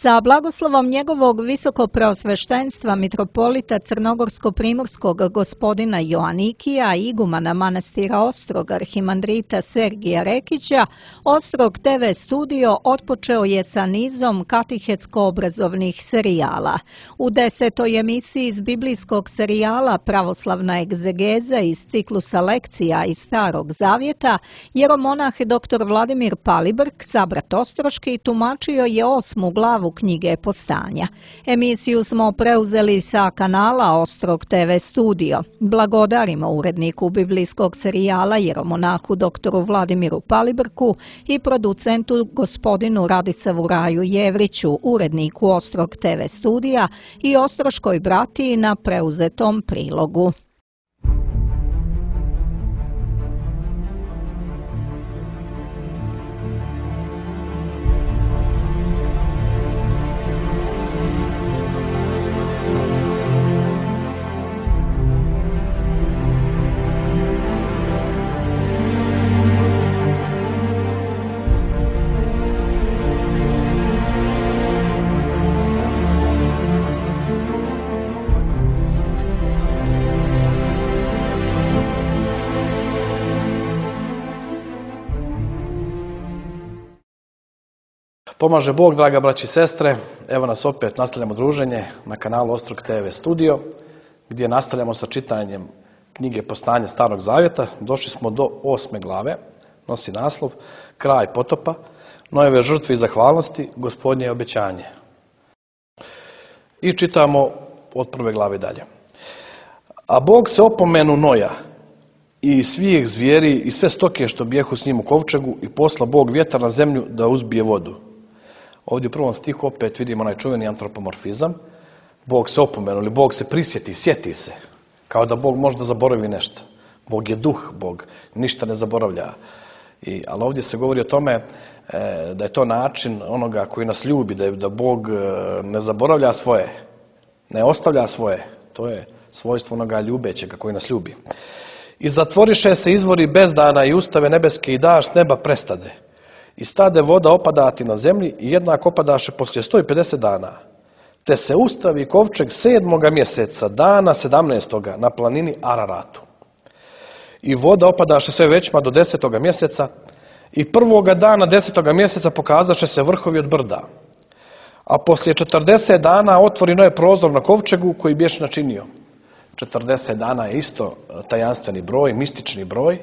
Sa blagoslovom njegovog visokopreosveštenstva mitropolita crnogorsko-primorskog gospodina Joanikija, igumana manastira Ostrog, arhimandrita Sergija Rekića, Ostrog TV studio otpočeo je sa nizom katehetsko-obrazovnih serijala. U 10. emisiji iz biblijskog serijala Pravoslavna egzegeza iz ciklusa lekcija iz Starog Zavjeta, jeromonah dr. Vladimir Palibrk, sabrat Ostroški, tumačio je 8. glavu knjige Postanja. Emisiju smo preuzeli sa kanala Ostrog TV studio. Blagodarimo uredniku biblijskog serijala jeromonahu dr. Vladimiru Palibrku i producentu gospodinu Radisavu Raju Jevriću, uredniku Ostrog TV studija i Ostroškoj bratiji na preuzetom prilogu. Pomaže Bog, draga braći i sestre, evo nas opet nastavljamo druženje na kanalu Ostrog TV studio, gdje nastavljamo sa čitanjem knjige Postanje Starog Zavjeta. Došli smo do 8. glave, nosi naslov Kraj potopa, Nojeve žrtve i zahvalnosti, Gospodnje obećanje. I čitamo od 1. glave dalje. A Bog se opomenu Noja i svih zvijeri i sve stoke što bijehu s njim u kovčegu i posla Bog vjetar na zemlju da uzbije vodu. Ovdje u 1. stihu opet vidimo onaj čuveni antropomorfizam. Bog se opomenu ili Bog se prisjeti, sjeti se. Kao da Bog možda zaboravi nešto. Bog je duh, Bog ništa ne zaboravlja. Ali ovdje se govori o tome da je to način onoga koji nas ljubi, da Bog ne zaboravlja svoje, ne ostavlja svoje. To je svojstvo onoga ljubećega koji nas ljubi. I zatvoriše se izvori bezdana i ustave nebeske i daš s neba prestade. I stade voda opadati na zemlji i jednako opadaše poslije 150 dana. Te se ustavi kovčeg 7. mjeseca, dana 17. na planini Araratu. I voda opadaše sve većma do 10. mjeseca i 1. dana 10. mjeseca pokazaše se vrhovi od brda. A poslije 40 dana otvori Noe prozor na kovčegu koji bješe načinio. 40 dana je isto tajanstveni broj, mistični broj.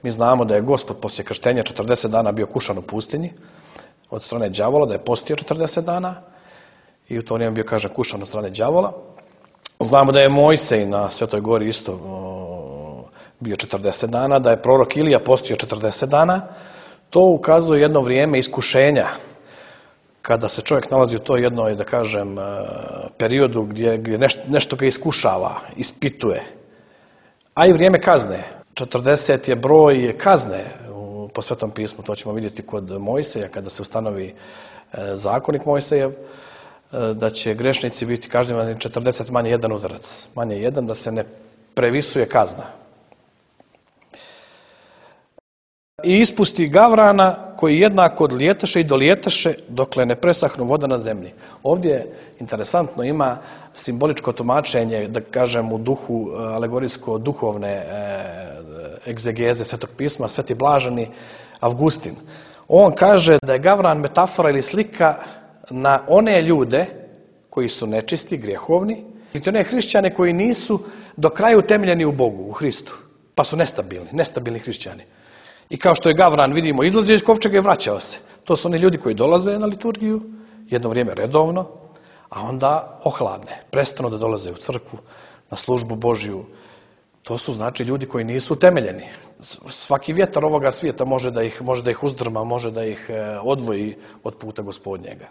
Mi znamo da je Gospod poslije krštenja 40 dana bio kušan u pustinji od strane đavola, da je postio 40 dana i u to vrijeme bio, kaže, kušan od strane đavola. Znamo da je Mojsej na Svetoj gori isto bio 40 dana, da je prorok Ilija postio 40 dana. To ukazuje jedno vrijeme iskušenja kada se čovjek nalazi u toj jednoj, da kažem, periodu gdje nešto ga iskušava, ispituje. A i vrijeme kazne. 40 je broj kazne po Svetom pismu, to ćemo vidjeti kod Mojseja, kada se ustanovi zakonik Mojsejev, da će grešnici biti kažnjavani 40 manje jedan udarac. Manje jedan, da se ne previsuje kazna. I ispusti gavrana koji jednako odlijetaše i dolijetaše dokle ne presahnu voda na zemlji. Ovdje interesantno ima simboličko tumačenje, da kažem u duhu alegorijsko-duhovne egzegeze Svetog pisma, Sveti blaženi Avgustin. On kaže da je gavran metafora ili slika na one ljude koji su nečisti, grijehovni, ili one hrišćane koji nisu do kraja utemeljeni u Bogu, u Hristu, pa su nestabilni hrišćani. I kao što je gavran, vidimo, izlazio iz kovčega i vraćao se. To su oni ljudi koji dolaze na liturgiju, jedno vrijeme redovno, a onda ohladne, prestanu da dolaze u crkvu, na službu Božju. To su, znači, ljudi koji nisu utemeljeni. Svaki vjetar ovoga svijeta može da ih uzdrma, može da ih odvoji od puta Gospodnjega.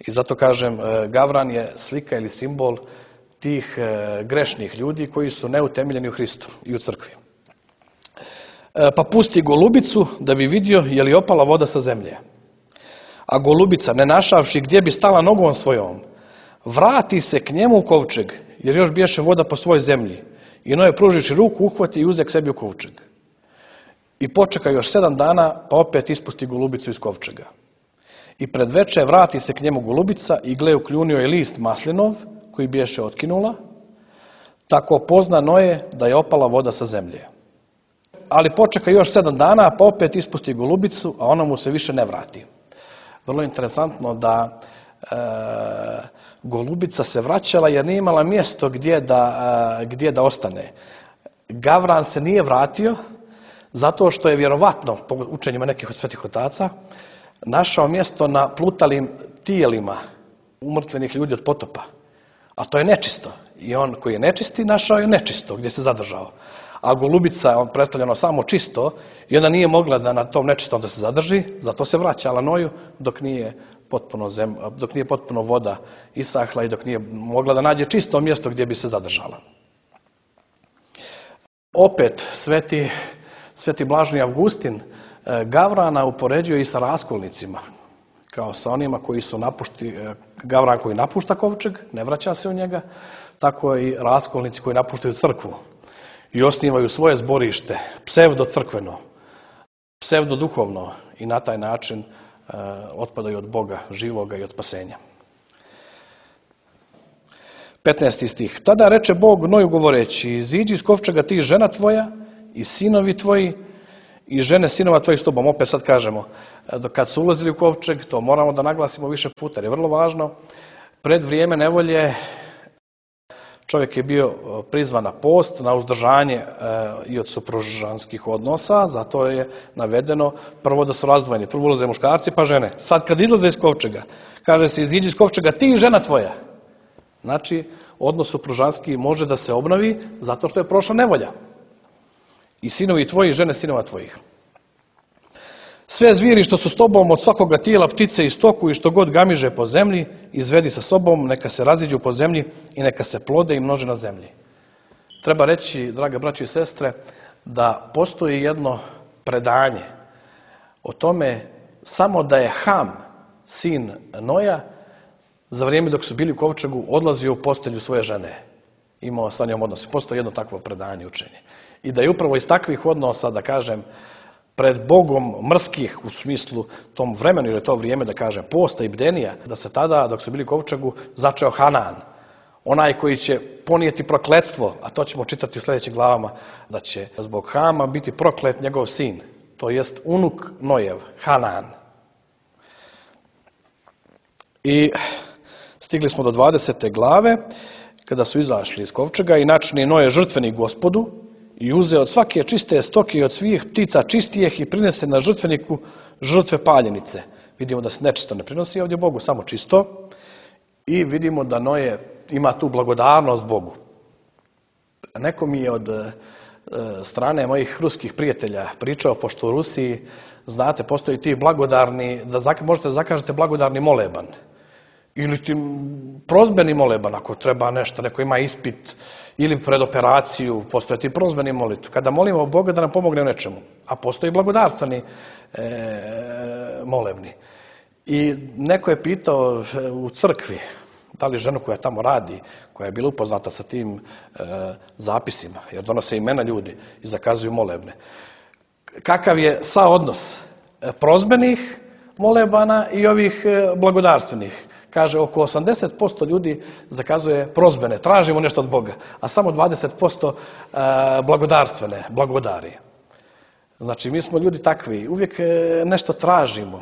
I zato kažem, gavran je slika ili simbol tih grešnih ljudi koji su neutemeljeni u Hristu i u crkvi. Pa pusti golubicu da bi vidio je li opala voda sa zemlje. A golubica, ne našavši gdje bi stala nogom svojom, vrati se k njemu u kovčeg, jer još biješe voda po svoj zemlji. I Noe pružiši ruku, uhvati i uze k sebi u kovčeg. I počeka još 7 dana, pa opet ispusti golubicu iz kovčega. I pred veče vrati se k njemu golubica i gle ukljunio je list maslinov koji biješe otkinula, tako pozna Noje da je opala voda sa zemlje. Ali počeka još 7 dana, pa opet ispusti golubicu, a ona mu se više ne vrati. Vrlo interesantno da golubica se vraćala jer nije imala mjesto gdje da ostane. Gavran se nije vratio zato što je vjerovatno, po učenjima nekih od svetih otaca, našao mjesto na plutalim tijelima umrtvenih ljudi od potopa. A to je nečisto. I on koji je nečisti našao je nečisto gdje se zadržao. A golubica, on predstavljeno samo čisto, i onda nije mogla da na tom nečistom da se zadrži, zato se vraćala Noju dok nije potpuno voda isahla i dok nije mogla da nađe čisto mjesto gdje bi se zadržala. Opet, sveti blaženi Avgustin Gavrana upoređuje i sa raskolnicima, kao sa onima koji su Gavran koji napušta kovčeg, ne vraća se u njega, tako i raskolnici koji napuštaju crkvu i osnivaju svoje zborište, psevdo-crkveno, psevdo-duhovno i na taj način otpadaju od Boga živoga i od spasenja. 15. stih. Tada reče Bog Noju govoreći, iziđi iz kovčega ti žena tvoja i sinovi tvoji i žene sinova tvojih s tobom. Opet sad kažemo, kad su ulazili u kovčeg, to moramo da naglasimo više puta, jer je vrlo važno, pred vrijeme nevolje čovjek je bio prizvan na post, na uzdržanje i od supružanskih odnosa, zato je navedeno prvo da su razdvojeni. Prvo ulaze muškarci pa žene. Sad kad izlaze iz kovčega, kaže se iziđi iz kovčega ti i žena tvoja. Znači, odnos supružanski može da se obnovi zato što je prošla nevolja. I sinovi tvoji i žene sinova tvojih. Sve zvijeri što su s tobom od svakoga tijela, ptice i stoku i što god gamiže po zemlji, izvedi sa sobom, neka se raziđu po zemlji i neka se plode i množe na zemlji. Treba reći, drage braće i sestre, da postoji jedno predanje o tome samo da je Ham, sin Noja, za vrijeme dok su bili u kovčegu, odlazio u postelju svoje žene. Imao sa njom odnose. Postoji jedno takvo predanje učenje. I da je upravo iz takvih odnosa, da kažem, pred Bogom mrskih u smislu tom vremenu, jer je to vrijeme, da kažem, posta i bdenija, da se tada, dok su bili u kovčegu, začeo Hanan. Onaj koji će ponijeti prokletstvo, a to ćemo čitati u sljedećim glavama, da će zbog Hama biti proklet njegov sin, to jest unuk Nojev, Hanan. I stigli smo do 20. glave, kada su izašli iz kovčega i načini Noje žrtveni Gospodu i uze od svake čiste stoke i od svih ptica čistijeh i prinese na žrtveniku žrtve paljenice. Vidimo da se nečisto ne prinosi ovdje Bogu, samo čisto. I vidimo da Noje ima tu blagodarnost Bogu. Neko mi je od strane mojih ruskih prijatelja pričao, pošto u Rusiji, znate, postoji ti blagodarni, možete da zakažete blagodarni moleban. Ili ti prozbeni moleban, ako treba nešto, neko ima ispit, ili pred operaciju, postoje ti prozbeni molitv. Kada molimo Boga da nam pomogne u nečemu, a postoji blagodarstveni molebni. I neko je pitao u crkvi, da li ženu koja tamo radi, koja je bila upoznata sa tim zapisima, jer donose imena ljudi i zakazuju molebne. Kakav je saodnos prozbenih molebana i ovih blagodarstvenih? Kaže, oko 80% ljudi zakazuje prozbene, tražimo nešto od Boga, a samo 20% blagodarstvene, blagodari. Znači, mi smo ljudi takvi, uvijek nešto tražimo,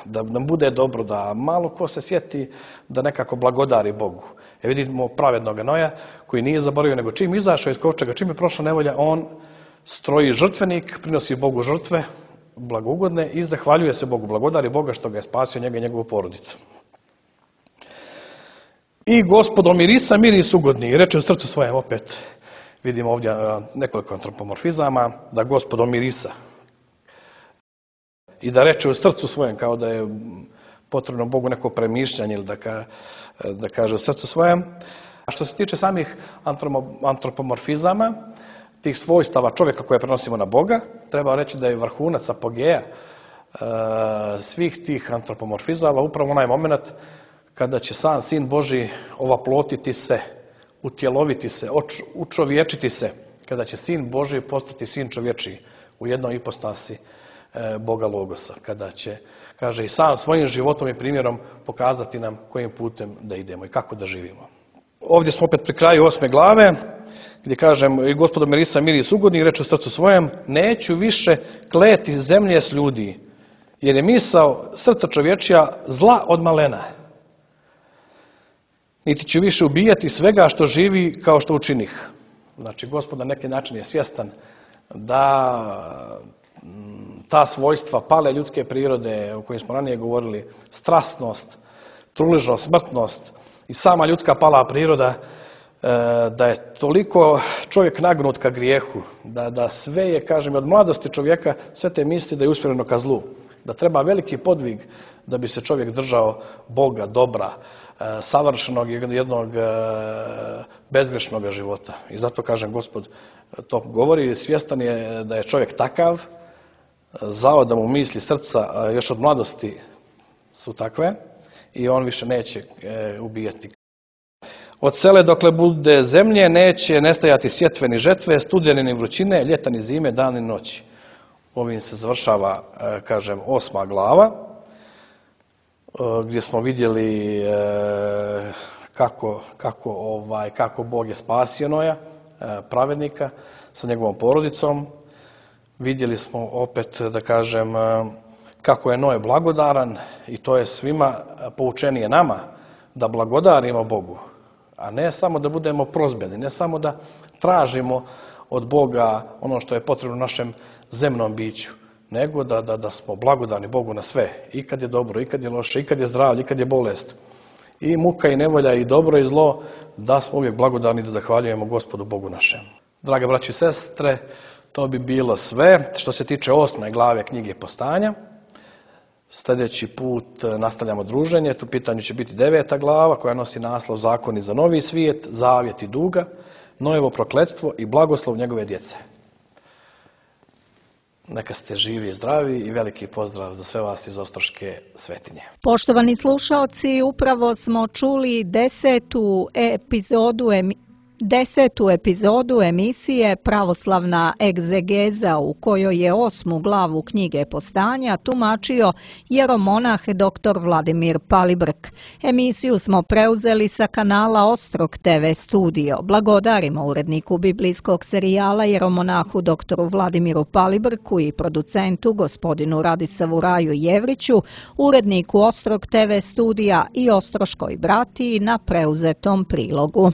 da nam bude dobro, da malo ko se sjeti da nekako blagodari Bogu. Vidimo pravednog Noja koji nije zaboravio, nego čim izašao iz kovčega, čim je prošla nevolja, on stroji žrtvenik, prinosi Bogu žrtve, blagougodne i zahvaljuje se Bogu, blagodari Boga što ga je spasio njega i njegovu porodicu. I Gospod omirisa miris ugodni i reče u srcu svojem, opet vidimo ovdje nekoliko antropomorfizama, da Gospod omirisa i da reče u srcu svojem, kao da je potrebno Bogu neko premišljanje ili da kaže u srcu svojem. A što se tiče samih antropomorfizama, tih svojstava čovjeka koje prenosimo na Boga, treba reći da je vrhunac apogeja svih tih antropomorfizama upravo onaj moment kada će sam Sin Božji ovaplotiti se, utjeloviti se, učovječiti se, kada će Sin Božji postati Sin čovječiji u jednoj ipostasi Boga Logosa, kada će, kaže, i sam svojim životom i primjerom pokazati nam kojim putem da idemo i kako da živimo. Ovdje smo opet pri kraju 8. glave, gdje kažem, i Gospodo mirisa miris ugodni, reče u srcu svojem, neću više kleti zemlje s ljudi, jer je misao srca čovječija zla od malena. Niti ću više ubijati svega što živi kao što učinih. Znači, Gospod na neki način je svjestan da ta svojstva pale ljudske prirode o kojim smo ranije govorili, strasnost, truležnost, smrtnost i sama ljudska pala priroda, da je toliko čovjek nagnut ka grijehu, da sve je, kažem, od mladosti čovjeka sve te misli da je usmjereno ka zlu, da treba veliki podvig da bi se čovjek držao Boga, dobra, savršenog jednog bezgrešnog života. I zato, kažem, Gospod to govori, svjestan je da je čovjek takav, zao da mu misli srca još od mladosti su takve i on više neće ubijati. Od sele dokle bude zemlje neće nestajati sjetve ni žetve, studene ni vrućine, ljeta ni zime, dan ni noći. Ovim se završava, kažem, 8. glava, gdje smo vidjeli kako Bog je spasio Noja, pravednika, sa njegovom porodicom. Vidjeli smo opet, da kažem, kako je Noe blagodaran i to je svima poučenije nama da blagodarimo Bogu, a ne samo da budemo prozbeni, ne samo da tražimo od Boga ono što je potrebno našem zemnom biću, nego da smo blagodarni Bogu na sve, i kad je dobro, i kad je loše, i kad je zdravlje, i kad je bolest, i muka i nevolja, i dobro i zlo, da smo uvijek blagodarni, da zahvaljujemo Gospodu Bogu našem. Drage braći i sestre, to bi bilo sve što se tiče 8. glave knjige Postanja. Sljedeći put nastavljamo druženje. Tu pitanju će biti 9. glava koja nosi naslov Zakoni za novi svijet, zavjet i duga, Noevo prokletstvo i blagoslov njegove djece. Neka ste živi i zdravi i veliki pozdrav za sve vas iz Ostroške Svetinje. Poštovani slušaoci, upravo smo čuli 10. epizodu emisije Pravoslavna egzegeza, u kojoj je 8. glavu knjige Postanja tumačio jeromonah dr. Vladimir Palibrk. Emisiju smo preuzeli sa kanala Ostrog TV studio. Blagodarimo uredniku biblijskog serijala jeromonahu dr. Vladimiru Palibrku i producentu gospodinu Radisavu Raju Jevriću, uredniku Ostrog TV studija i Ostroškoj bratiji na preuzetom prilogu.